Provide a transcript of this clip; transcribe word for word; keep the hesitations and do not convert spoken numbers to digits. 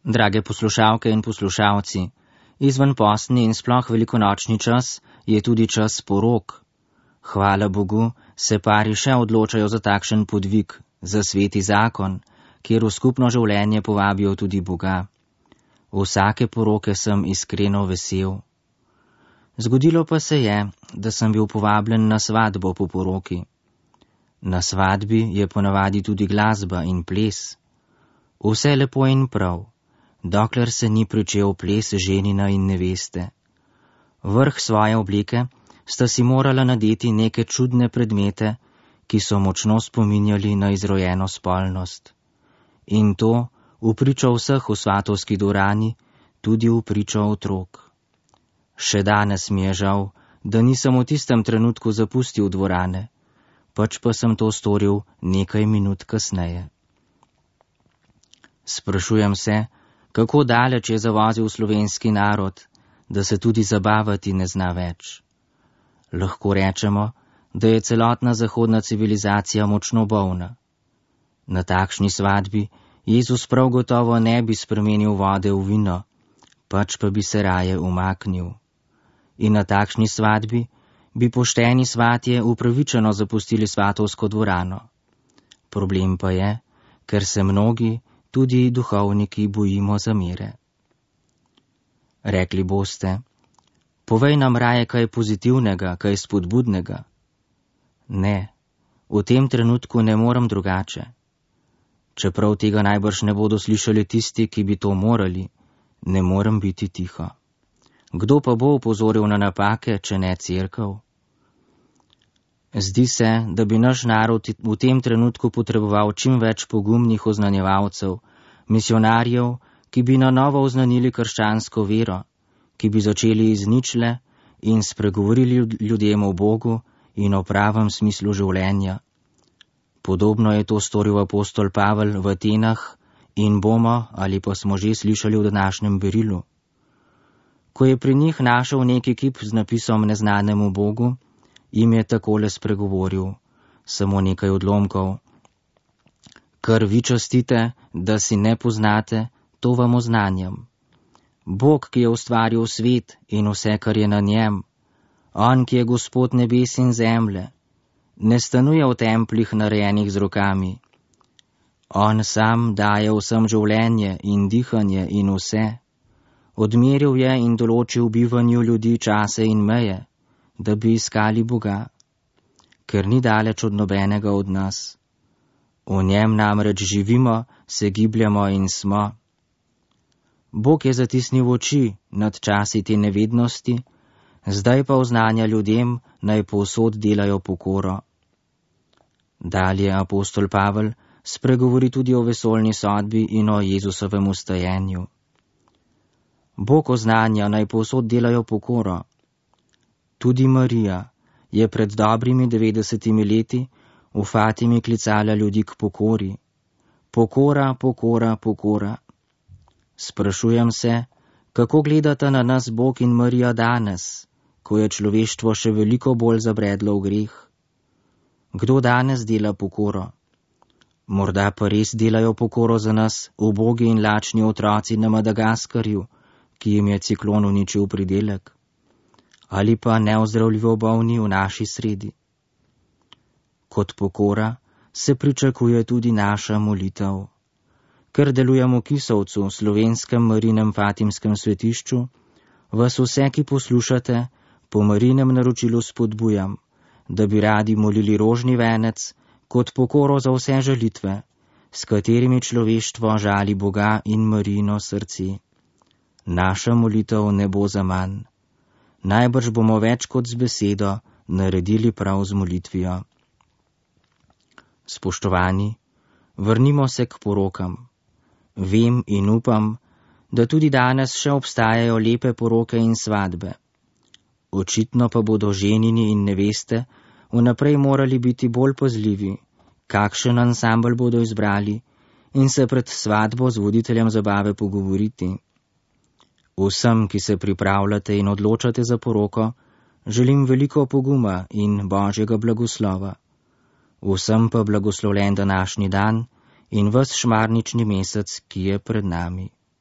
Drage poslušalke in poslušalci, izvenpostni in sploh velikonočni čas je tudi čas porok. Hvala Bogu, se pari še odločajo za takšen podvig, za sveti zakon, kjer v skupno življenje povabijo tudi Boga. Vsake poroke sem iskreno vesel. Zgodilo pa se je, da sem bil povabljen na svatbo po poroki. Na svadbi je ponavadi tudi glasba in ples. Vse lepo in prav, dokler se ni pričel ples ženina in neveste. Vrh svoje obleke sta si morala nadeti neke čudne predmete, ki so močno spominjali na izrojeno spolnost. In to v pričo vseh v svatovski dvorani, tudi v pričo otrok. Še danes mi je žal, da nisem v tistem trenutku zapustil dvorane, pač pa sem to storil nekaj minut kasneje. Sprašujem se, kako daleč je zavozil slovenski narod, da se tudi zabavati ne zna več. Lahko rečemo, da je celotna zahodna civilizacija močno bolna. Na takšni svadbi Jezus prav gotovo ne bi spremenil vode v vino, pač pa bi se raje umaknil. In na takšni svadbi bi pošteni svatje upravičeno zapustili svatovsko dvorano. Problem pa je, ker se mnogi, tudi duhovniki, bojimo zamere. Rekli boste, povej nam raje kaj pozitivnega, kaj spodbudnega. Ne, v tem trenutku ne morem drugače. Čeprav tega najbrž ne bodo slišali tisti, ki bi to morali, ne morem biti tiho. Kdo pa bo opozoril na napake, če ne cerkev? Zdi se, da bi naš narod v tem trenutku potreboval čim več pogumnih oznanjevalcev, misionarjev, ki bi na novo oznanili krščansko vero, ki bi začeli iz ničle in spregovorili ljudem o Bogu in o pravem smislu življenja. Podobno je to storil apostol Pavel v Atenah in bomo, ali pa smo že slišali v današnjem berilu. Ko je pri njih našel neki kip z napisom Neznanemu Bogu, jim je takole spregovoril, samo nekaj odlomkov. Kar vi častite, da si ne poznate, to vam oznanjam. Bog, ki je ustvaril svet in vse, kar je na njem, on, ki je Gospod nebes in zemlje, ne stanuje v templih narejenih z rokami. On sam daje vsem življenje in dihanje in vse. Odmeril je in določil bivanju ljudi čase in meje, da bi iskali Boga, ker ni daleč od nobenega od nas. V njem namreč živimo, se gibljamo in smo. Bog je zatisnil oči nad časi te nevednosti, zdaj pa oznanja ljudem, naj povsod delajo pokoro. Dalje apostol Pavel spregovori tudi o vesoljni sodbi in o Jezusovem ustajenju. Bog oznanja, naj povsod delajo pokoro. Tudi Marija je pred dobrimi devetdesetimi leti v Fatimi klicala ljudi k pokori. Pokora, pokora, pokora. Sprašujem se, kako gledata na nas Bog in Marija danes, ko je človeštvo še veliko bolj zabredlo v greh. Kdo danes dela pokoro? Morda pa res delajo pokoro za nas ubogi in lačni otroci na Madagaskarju, ki jim je ciklon uničil pridelek? Ali pa neozdravljivo bolni v naši sredi? Kot pokora se pričakuje tudi naša molitev. Ker delujemo v Kisovcu, slovenskem Marinem Fatimskem svetišču, vas vse, ki poslušate, po Marinem naročilu spodbujam, da bi radi molili rožni venec kot pokoro za vse žalitve, s katerimi človeštvo žali Boga in Marijino srce. Naša molitev ne bo zaman. Najbrž bomo več kot z besedo naredili prav z molitvijo. Spoštovani, vrnimo se k porokam. Vem in upam, da tudi danes še obstajajo lepe poroke in svadbe. Očitno pa bodo ženini in neveste vnaprej morali biti bolj pazljivi, kakšen ansambel bodo izbrali in se pred svadbo z voditeljem zabave pogovoriti. Vsem, ki se pripravljate in odločate za poroko, želim veliko poguma in Božjega blagoslova. Vsem pa blagoslovljen današnji dan in ves šmarnični mesec, ki je pred nami.